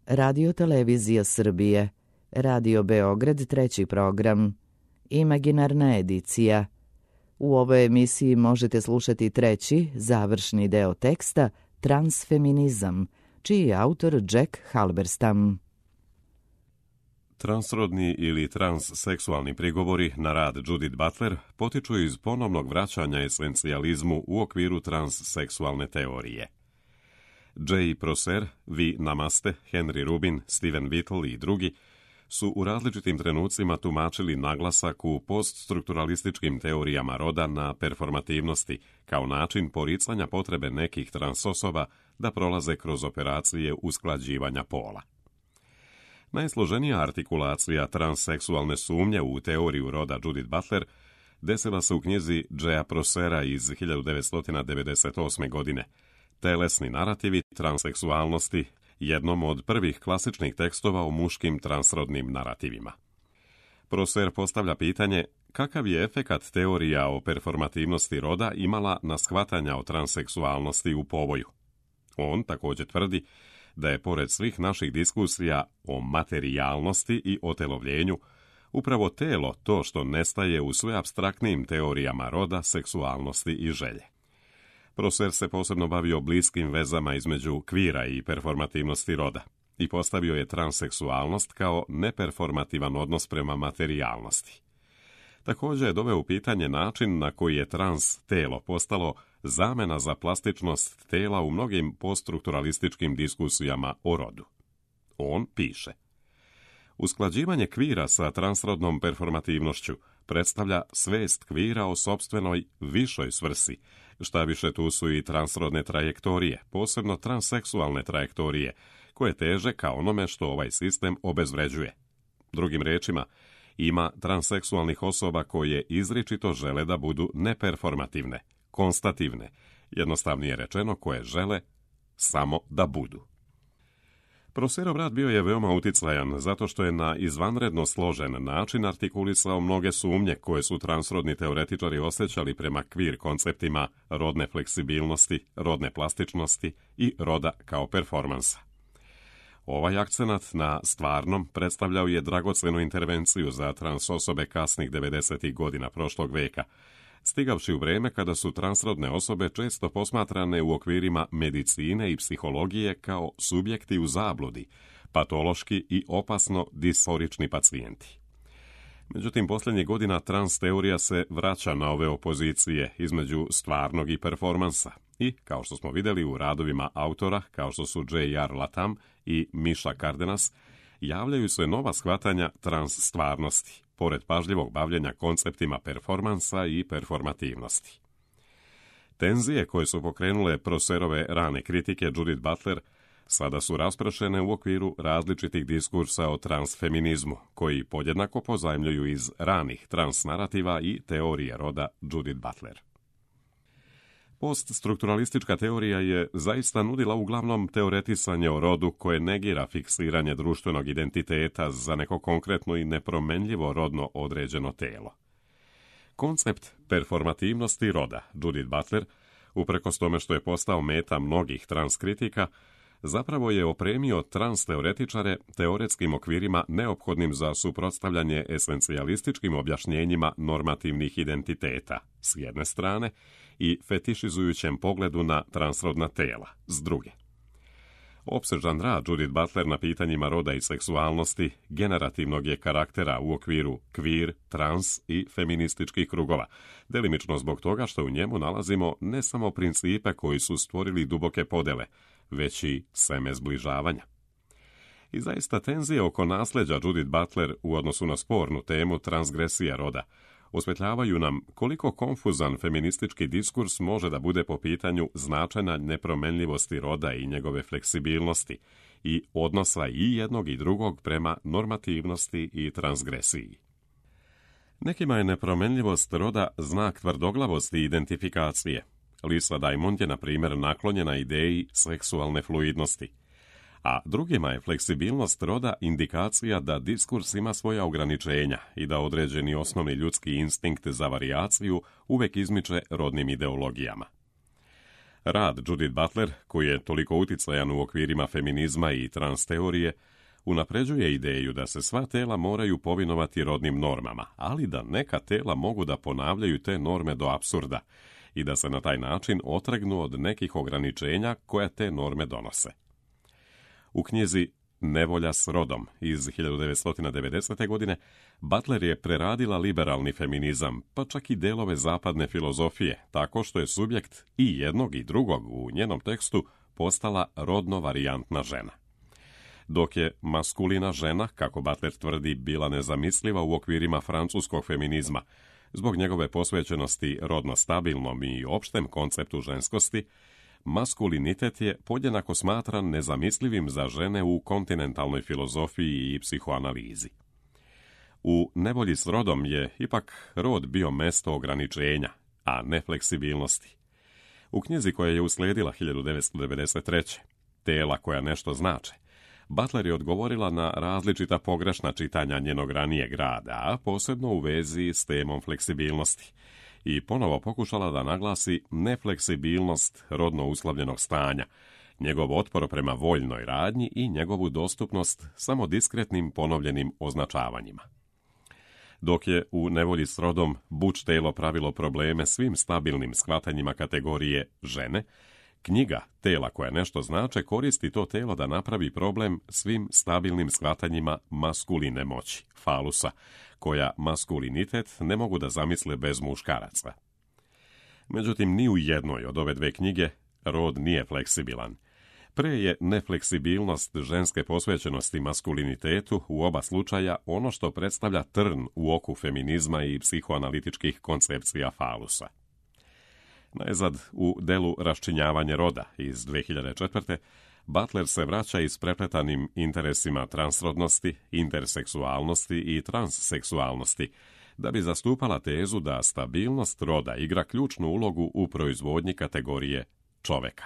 Radio Televizija Srbije, Radio Beograd treći program, Imaginarna edicija. U ovoj emisiji možete slušati treći, završni deo teksta Transfeminizam, čiji je autor Jack Halberstam. Transrodni ili transseksualni prigovori na rad Judith Butler potiču iz ponovnog vraćanja esencijalizmu u okviru transseksualne teorije. J. Prosser, V. Namaste, Henry Rubin, Steven Whittle i drugi su u različitim trenucima tumačili naglasak u poststrukturalističkim teorijama roda na performativnosti kao način poricanja potrebe nekih transosoba da prolaze kroz operacije usklađivanja pola. Najsloženija artikulacija transseksualne sumnje u teoriju roda Judith Butler desila se u knjizi J. Prossera iz 1998. godine, Telesni narativi transseksualnosti, jednom od prvih klasičnih tekstova o muškim transrodnim narativima. Prosser postavlja pitanje kakav je efekat teorija o performativnosti roda imala na shvatanja o transseksualnosti u povoju. On također tvrdi da je pored svih naših diskusija o materijalnosti i otelovljenju, upravo telo to što nestaje u sve apstraktnijim teorijama roda, seksualnosti i želje. Prosser se posebno bavio bliskim vezama između kvira i performativnosti roda i postavio je transseksualnost kao neperformativan odnos prema materijalnosti. Također je doveo u pitanje način na koji je trans telo postalo zamena za plastičnost tela u mnogim poststrukturalističkim diskusijama o rodu. On piše: usklađivanje kvira sa transrodnom performativnošću predstavlja svest kvira o sopstvenoj višoj svrsi, šta više tu su i transrodne trajektorije, posebno transseksualne trajektorije, koje teže ka onome što ovaj sistem obezvređuje. Drugim rečima, ima transseksualnih osoba koje izričito žele da budu neperformativne, konstativne, jednostavnije rečeno koje žele samo da budu. Prosserov rad bio je veoma uticajan zato što je na izvanredno složen način artikulisao mnoge sumnje koje su transrodni teoretičari osjećali prema kvir konceptima rodne fleksibilnosti, rodne plastičnosti i roda kao performansa. Ovaj akcenat na stvarnom predstavljao je dragocenu intervenciju za trans osobe kasnih 90. godina prošlog veka, stigavši u vrijeme kada su transrodne osobe često posmatrane u okvirima medicine i psihologije kao subjekti u zabludi, patološki i opasno disforični pacijenti. Međutim, posljednjih godina trans teorija se vraća na ove opozicije između stvarnog i performansa i, kao što smo vidjeli u radovima autora kao što su J.R. Latham i Misha Cardenas, javljaju se nova shvatanja trans stvarnosti, pored pažljivog bavljenja konceptima performansa i performativnosti. Tenzije koje su pokrenule Prosserove rane kritike Judith Butler sada su raspršene u okviru različitih diskursa o transfeminizmu, koji podjednako pozajmljuju iz ranih transnarativa i teorije roda Judith Butler. Poststrukturalistička teorija je zaista nudila uglavnom teoretisanje o rodu koje negira fiksiranje društvenog identiteta za neko konkretno i nepromenljivo rodno određeno telo. Koncept performativnosti roda Judith Butler, uprkos tome što je postao meta mnogih transkritika, zapravo je opremio transteoretičare teoretskim okvirima neophodnim za suprotstavljanje esencijalističkim objašnjenjima normativnih identiteta, s jedne strane, i fetišizujućem pogledu na transrodna tela, s druge. Opsežan rad Judith Butler na pitanjima roda i seksualnosti generativnog je karaktera u okviru kvir, trans i feminističkih krugova, delimično zbog toga što u njemu nalazimo ne samo principe koji su stvorili duboke podele, već i seme zbližavanja. I zaista tenzije oko nasljeđa Judith Butler u odnosu na spornu temu transgresija roda osvetljavaju nam koliko konfuzan feministički diskurs može da bude po pitanju značenja nepromenljivosti roda i njegove fleksibilnosti i odnosa i jednog i drugog prema normativnosti i transgresiji. Nekima je nepromenljivost roda znak tvrdoglavosti i identifikacije. Lisa Diamond je, na primjer, naklonjena ideji seksualne fluidnosti, a drugima je fleksibilnost roda indikacija da diskurs ima svoja ograničenja i da određeni osnovni ljudski instinkt za varijaciju uvek izmiče rodnim ideologijama. Rad Judith Butler, koji je toliko uticajan u okvirima feminizma i trans teorije, unapređuje ideju da se sva tela moraju povinovati rodnim normama, ali da neka tela mogu da ponavljaju te norme do apsurda i da se na taj način otrgnu od nekih ograničenja koja te norme donose. U knjizi Nevolja s rodom iz 1990. godine Butler je preradila liberalni feminizam, pa čak i delove zapadne filozofije, tako što je subjekt i jednog i drugog u njenom tekstu postala rodno varijantna žena. Dok je maskulina žena, kako Butler tvrdi, bila nezamisliva u okvirima francuskog feminizma, zbog njegove posvećenosti rodno stabilnom i opštem konceptu ženskosti, maskulinitet je podjednako smatran nezamislivim za žene u kontinentalnoj filozofiji i psihoanalizi. U Nevolji s rodom je ipak rod bio mesto ograničenja, a ne fleksibilnosti. U knjizi koja je uslijedila 1993. Tela koja nešto znače, Butler je odgovorila na različita pogrešna čitanja njenog ranijeg rada, a posebno u vezi s temom fleksibilnosti, i ponovo pokušala da naglasi nefleksibilnost rodno uslovljenog stanja, njegov otpor prema voljnoj radnji i njegovu dostupnost samo diskretnim ponovljenim označavanjima. Dok je u Nevolji s rodom Butch telo pravilo probleme svim stabilnim shvatanjima kategorije žene, knjiga Tela koja nešto znače koristi to telo da napravi problem svim stabilnim shvatanjima maskuline moći, falusa, koja maskulinitet ne mogu da zamisle bez muškaraca. Međutim, ni u jednoj od ove dve knjige rod nije fleksibilan. Pre je nefleksibilnost ženske posvećenosti maskulinitetu u oba slučaja ono što predstavlja trn u oku feminizma i psihoanalitičkih koncepcija falusa. Najzad, u delu Raščinjavanje roda iz 2004. Butler se vraća isprepletanim interesima transrodnosti, interseksualnosti i transseksualnosti, da bi zastupala tezu da stabilnost roda igra ključnu ulogu u proizvodnji kategorije čoveka.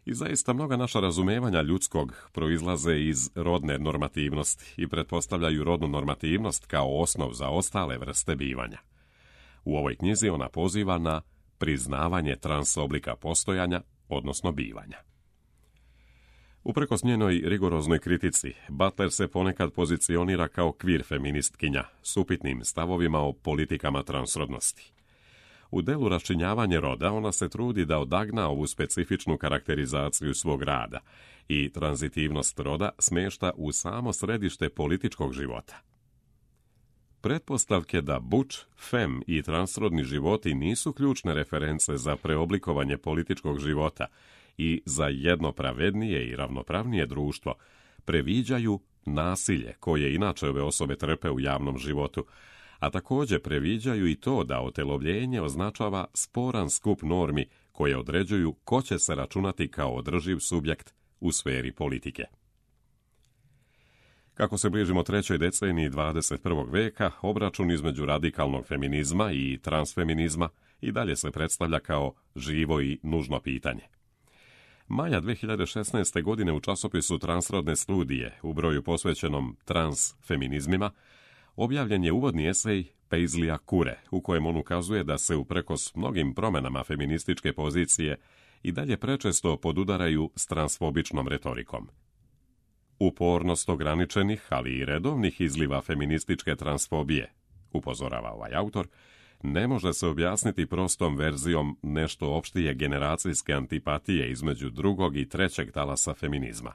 I zaista mnoga naša razumevanja ljudskog proizlaze iz rodne normativnosti i pretpostavljaju rodnu normativnost kao osnov za ostale vrste bivanja. U ovoj knjizi ona poziva na priznavanje transoblika postojanja, odnosno bivanja. Uprkos njenoj rigoroznoj kritici, Butler se ponekad pozicionira kao kvir feministkinja s upitnim stavovima o politikama transrodnosti. U delu Raščinjavanje roda ona se trudi da odagna ovu specifičnu karakterizaciju svog rada i tranzitivnost roda smješta u samo središte političkog života. Pretpostavke da Butch, fem i transrodni životi nisu ključne reference za preoblikovanje političkog života i za jedno pravednije i ravnopravnije društvo, previđaju nasilje koje inače ove osobe trpe u javnom životu, a također previđaju i to da otelovljenje označava sporan skup normi koje određuju ko će se računati kao održiv subjekt u sferi politike. Kako se bližimo trećoj deceniji 21. veka, obračun između radikalnog feminizma i transfeminizma i dalje se predstavlja kao živo i nužno pitanje. Maja 2016. godine u časopisu Transrodne studije u broju posvećenom transfeminizmima objavljen je uvodni esej Paisleya Kure, u kojem on ukazuje da se uprkos mnogim promjenama feminističke pozicije i dalje prečesto podudaraju s transfobičnom retorikom. Upornost ograničenih, ali i redovnih izliva feminističke transfobije, upozorava ovaj autor, ne može se objasniti prostom verzijom nešto opštije generacijske antipatije između drugog i trećeg talasa feminizma.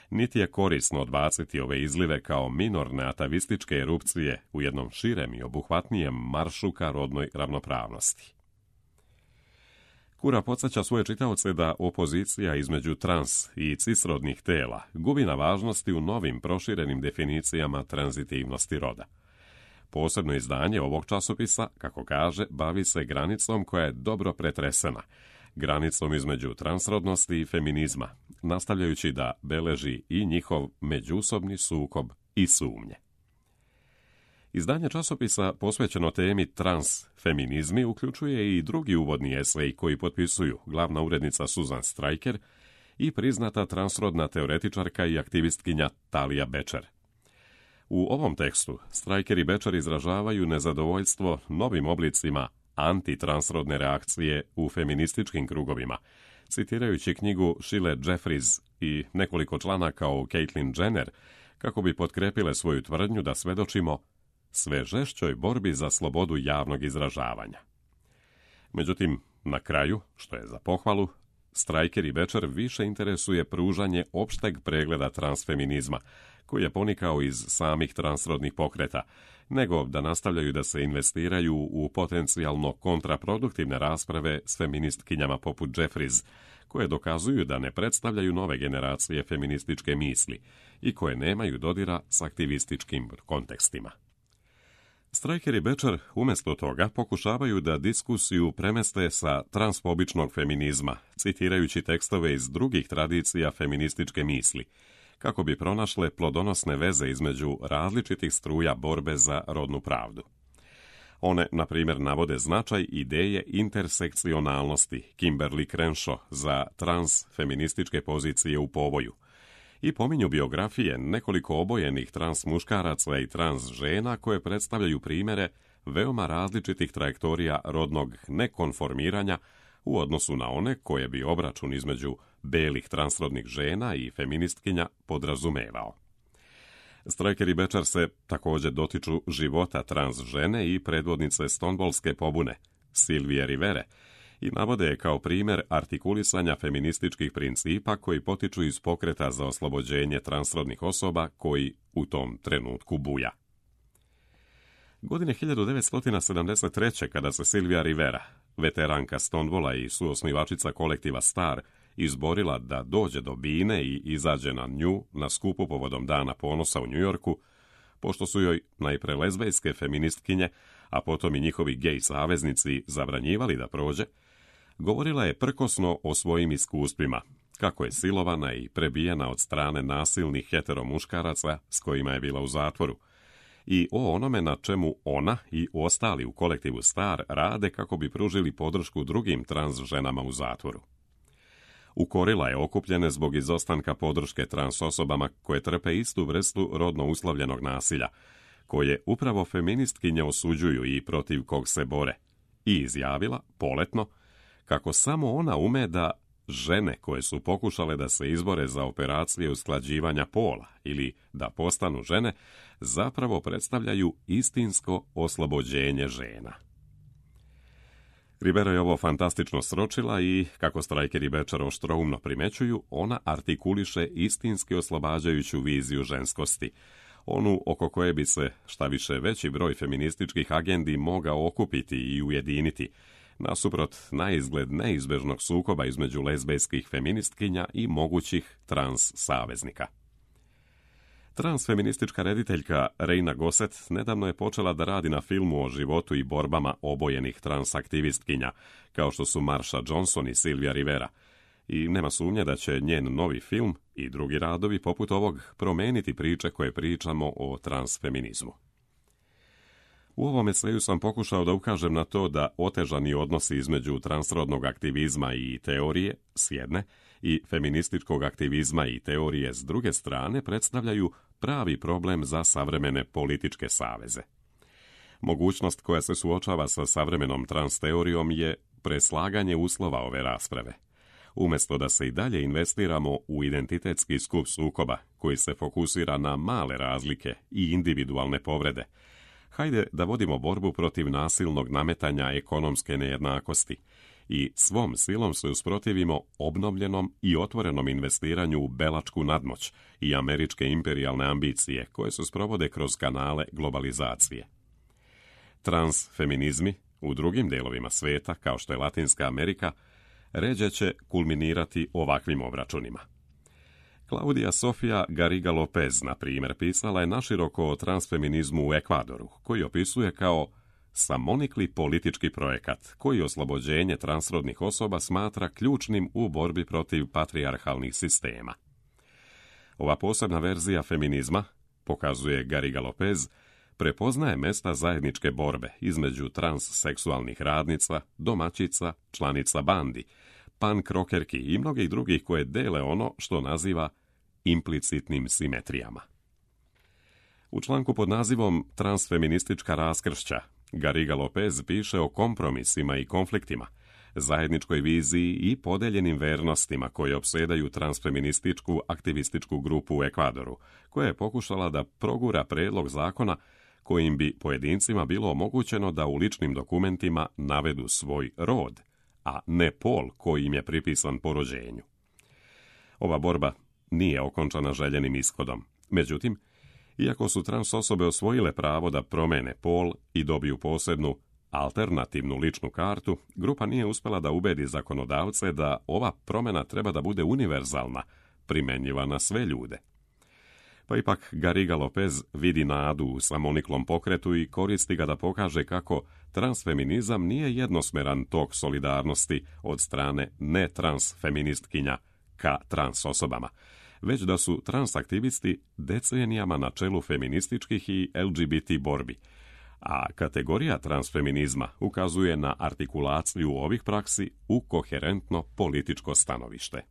Niti je korisno odbaciti ove izlive kao minorne atavističke erupcije u jednom širem i obuhvatnijem maršu ka rodnoj ravnopravnosti. Kura podsjeća svoje čitaoce da opozicija između trans i cisrodnih tela gubi na važnosti u novim proširenim definicijama tranzitivnosti roda. Posebno izdanje ovog časopisa, kako kaže, bavi se granicom koja je dobro pretresena, granicom između transrodnosti i feminizma, nastavljajući da beleži i njihov međusobni sukob i sumnje. Izdanje časopisa posvećeno temi transfeminizmi uključuje i drugi uvodni esej koji potpisuju glavna urednica Susan Stryker i priznata transrodna teoretičarka i aktivistkinja Talia Becher. U ovom tekstu Stryker i Becher izražavaju nezadovoljstvo novim oblicima antitransrodne reakcije u feminističkim krugovima, citirajući knjigu Sheila Jeffries i nekoliko članaka o Caitlyn Jenner, kako bi potkrepile svoju tvrdnju da svedočimo sve žešćoj borbi za slobodu javnog izražavanja. Međutim, na kraju, što je za pohvalu, Stryker i Becher više interesuje pružanje opšteg pregleda transfeminizma, koji je ponikao iz samih transrodnih pokreta, nego da nastavljaju da se investiraju u potencijalno kontraproduktivne rasprave s feministkinjama poput Jeffries, koje dokazuju da ne predstavljaju nove generacije feminističke misli i koje nemaju dodira s aktivističkim kontekstima. Stryker i Becher umjesto toga pokušavaju da diskusiju premeste sa transfobičnog feminizma, citirajući tekstove iz drugih tradicija feminističke misli, kako bi pronašle plodonosne veze između različitih struja borbe za rodnu pravdu. One, na primjer, navode značaj ideje intersekcionalnosti Kimberly Crenshaw za transfeminističke pozicije u povoju i pominju biografije nekoliko obojenih trans muškaraca i trans žena koje predstavljaju primjere veoma različitih trajektorija rodnog nekonformiranja u odnosu na one koje bi obračun između belih transrodnih žena i feministkinja podrazumevao. Stryker i Becher se također dotiču života trans žene i predvodnice Stonewallske pobune, Sylvie Rivere, i navode je kao primjer artikulisanja feminističkih principa koji potiču iz pokreta za oslobođenje transrodnih osoba koji u tom trenutku buja. Godine 1973. kada se Sylvia Rivera, veteranka Stonewalla i suosnivačica kolektiva STAR, izborila da dođe do bine i izađe na nju na skupu povodom Dana ponosa u Njujorku, pošto su joj najpre lezbejske feministkinje, a potom i njihovi gej saveznici zabranjivali da prođe, govorila je prkosno o svojim iskustvima, kako je silovana i prebijena od strane nasilnih heteromuškaraca s kojima je bila u zatvoru, i o onome na čemu ona i ostali u kolektivu STAR rade kako bi pružili podršku drugim trans ženama u zatvoru. Ukorila je okupljene zbog izostanka podrške trans osobama koje trpe istu vrstu rodno uslovljenog nasilja, koje upravo feministkinje osuđuju i protiv kog se bore, i izjavila, poletno, kako samo ona ume da žene koje su pokušale da se izbore za operacije usklađivanja pola ili da postanu žene, zapravo predstavljaju istinsko oslobođenje žena. Rivera je ovo fantastično sročila i, kako Stryker i Becher oštroumno primećuju, ona artikuliše istinski oslobađajuću viziju ženskosti, onu oko koje bi se, šta više, veći broj feminističkih agendi mogao okupiti i ujediniti, nasuprot naizgled neizbežnog sukoba između lezbejskih feministkinja i mogućih trans saveznika. Transfeministička rediteljka Reina Gossett nedavno je počela da radi na filmu o životu i borbama obojenih transaktivistkinja, kao što su Marsha Johnson i Sylvia Rivera, i nema sumnje da će njen novi film i drugi radovi poput ovog promeniti priče koje pričamo o transfeminizmu. U ovom eseju sam pokušao da ukažem na to da otežani odnosi između transrodnog aktivizma i teorije, s jedne, i feminističkog aktivizma i teorije s druge strane predstavljaju pravi problem za savremene političke saveze. Mogućnost koja se suočava sa savremenom transteorijom je preslaganje uslova ove rasprave. Umjesto da se i dalje investiramo u identitetski skup sukoba koji se fokusira na male razlike i individualne povrede, hajde da vodimo borbu protiv nasilnog nametanja ekonomske nejednakosti i svom silom se usprotivimo obnovljenom i otvorenom investiranju u belačku nadmoć i američke imperijalne ambicije koje se sprovode kroz kanale globalizacije. Transfeminizmi u drugim delovima sveta, kao što je Latinska Amerika, ređe će kulminirati ovakvim obračunima. Claudia Sofia Garriga Lopez, na primjer, pisala je naširoko o transfeminizmu u Ekvadoru, koji opisuje kao samonikli politički projekat, koji oslobođenje transrodnih osoba smatra ključnim u borbi protiv patrijarhalnih sistema. Ova posebna verzija feminizma, pokazuje Garriga Lopez, prepoznaje mesta zajedničke borbe između transseksualnih radnica, domaćica, članica bandi, punk rockerki i mnogih drugih koje dele ono što naziva implicitnim simetrijama. U članku pod nazivom Transfeministička raskršća Garriga Lopez piše o kompromisima i konfliktima, zajedničkoj viziji i podeljenim vernostima koje opsedaju transfeminističku aktivističku grupu u Ekvadoru, koja je pokušala da progura predlog zakona kojim bi pojedincima bilo omogućeno da u ličnim dokumentima navedu svoj rod, a ne pol koji im je pripisan po rođenju. Ova borba nije okončana željenim ishodom. Međutim, iako su trans osobe osvojile pravo da promene pol i dobiju posebnu alternativnu ličnu kartu, grupa nije uspjela da ubedi zakonodavce da ova promjena treba da bude univerzalna, primenjiva na sve ljude. Pa ipak Garriga Lopez vidi nadu u samoniklom pokretu i koristi ga da pokaže kako transfeminizam nije jednosmeran tok solidarnosti od strane netransfeministkinja ka trans osobama, već da su transaktivisti decenijama na čelu feminističkih i LGBT borbi, a kategorija transfeminizma ukazuje na artikulaciju ovih praksi u koherentno političko stanovište.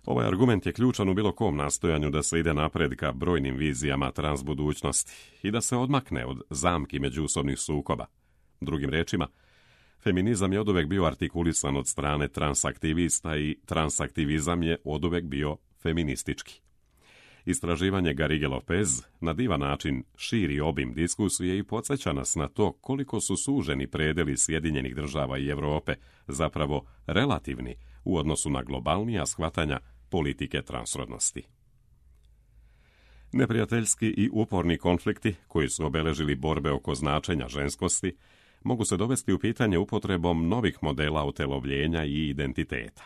Ovaj argument je ključan u bilo kom nastojanju da se ide napred ka brojnim vizijama transbudućnosti i da se odmakne od zamki međusobnih sukoba. Drugim rečima, feminizam je oduvek bio artikulisan od strane transaktivista i transaktivizam je oduvek bio feministički. Istraživanje Garrigue Lopez na divan način širi obim diskusije i podsjeća nas na to koliko su suženi predeli Sjedinjenih država i Europe zapravo relativni u odnosu na globalnija shvatanja politike transrodnosti. Neprijateljski i uporni konflikti koji su obeležili borbe oko značenja ženskosti mogu se dovesti u pitanje upotrebom novih modela utelovljenja i identiteta.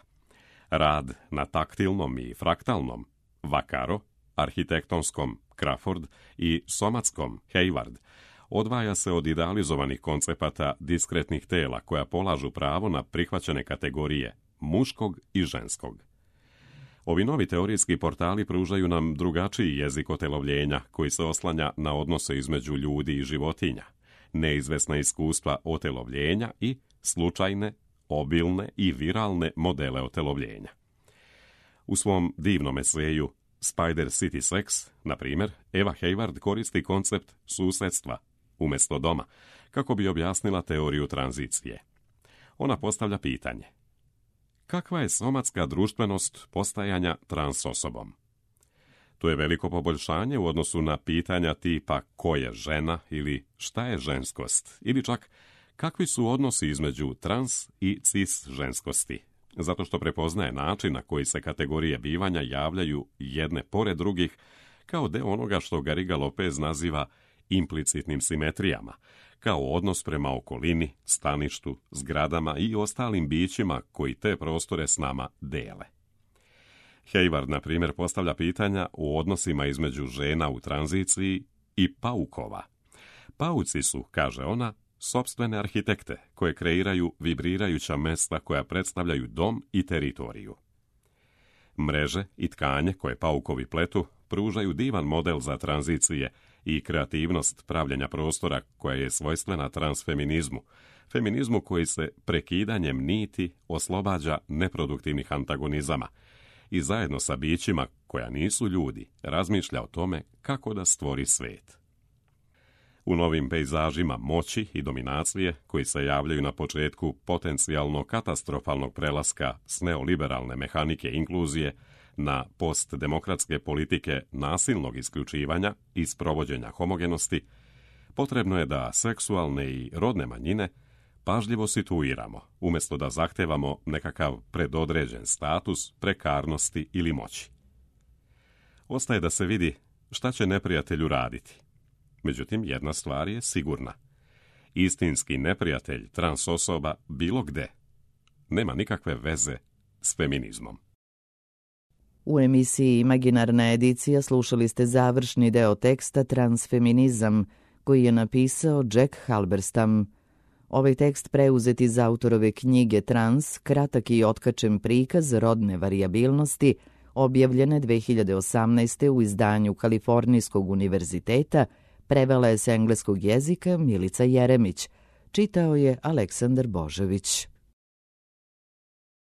Rad na taktilnom i fraktalnom Vaccaro, arhitektonskom Crawford i somatskom Hayward odvaja se od idealizovanih koncepata diskretnih tela koja polažu pravo na prihvaćene kategorije muškog i ženskog. Ovi novi teorijski portali pružaju nam drugačiji jezik otelovljenja koji se oslanja na odnose između ljudi i životinja, neizvesna iskustva otelovljenja i slučajne, obilne i viralne modele otelovljenja. U svom divnom eseju Spider City Sex, na primjer, Eva Hayward koristi koncept susjedstva umjesto doma kako bi objasnila teoriju tranzicije. Ona postavlja pitanje: kakva je somatska društvenost postajanja trans osobom? To je veliko poboljšanje u odnosu na pitanja tipa ko je žena ili šta je ženskost, ili čak kakvi su odnosi između trans i cis ženskosti, zato što prepoznaje način na koji se kategorije bivanja javljaju jedne pored drugih kao deo onoga što Garriga Lopez naziva implicitnim simetrijama, kao odnos prema okolini, staništu, zgradama i ostalim bićima koji te prostore s nama dele. Hayward, na primjer, postavlja pitanja o odnosima između žena u tranziciji i paukova. Pauci su, kaže ona, sopstvene arhitekte koje kreiraju vibrirajuća mesta koja predstavljaju dom i teritoriju. Mreže i tkanje koje paukovi pletu pružaju divan model za tranzicije i kreativnost pravljenja prostora koja je svojstvena transfeminizmu, feminizmu koji se prekidanjem niti oslobađa neproduktivnih antagonizama i zajedno sa bićima koja nisu ljudi razmišlja o tome kako da stvori svet. U novim pejzažima moći i dominacije koji se javljaju na početku potencijalno katastrofalnog prelaska s neoliberalne mehanike inkluzije na postdemokratske politike nasilnog isključivanja i sprovođenja homogenosti, potrebno je da seksualne i rodne manjine pažljivo situiramo, umjesto da zahtevamo nekakav predodređen status prekarnosti ili moći. Ostaje da se vidi šta će neprijatelj uraditi. Međutim, jedna stvar je sigurna. Istinski neprijatelj trans osoba bilo gde nema nikakve veze s feminizmom. U emisiji Imaginarna edicija slušali ste završni deo teksta Transfeminizam, koji je napisao Jack Halberstam. Ovaj tekst preuzet iz autorove knjige Trans, kratak i otkačen prikaz rodne varijabilnosti, objavljene 2018. u izdanju Kalifornijskog univerziteta, prevela je s engleskog jezika Milica Jeremić. Čitao je Aleksandar Božović.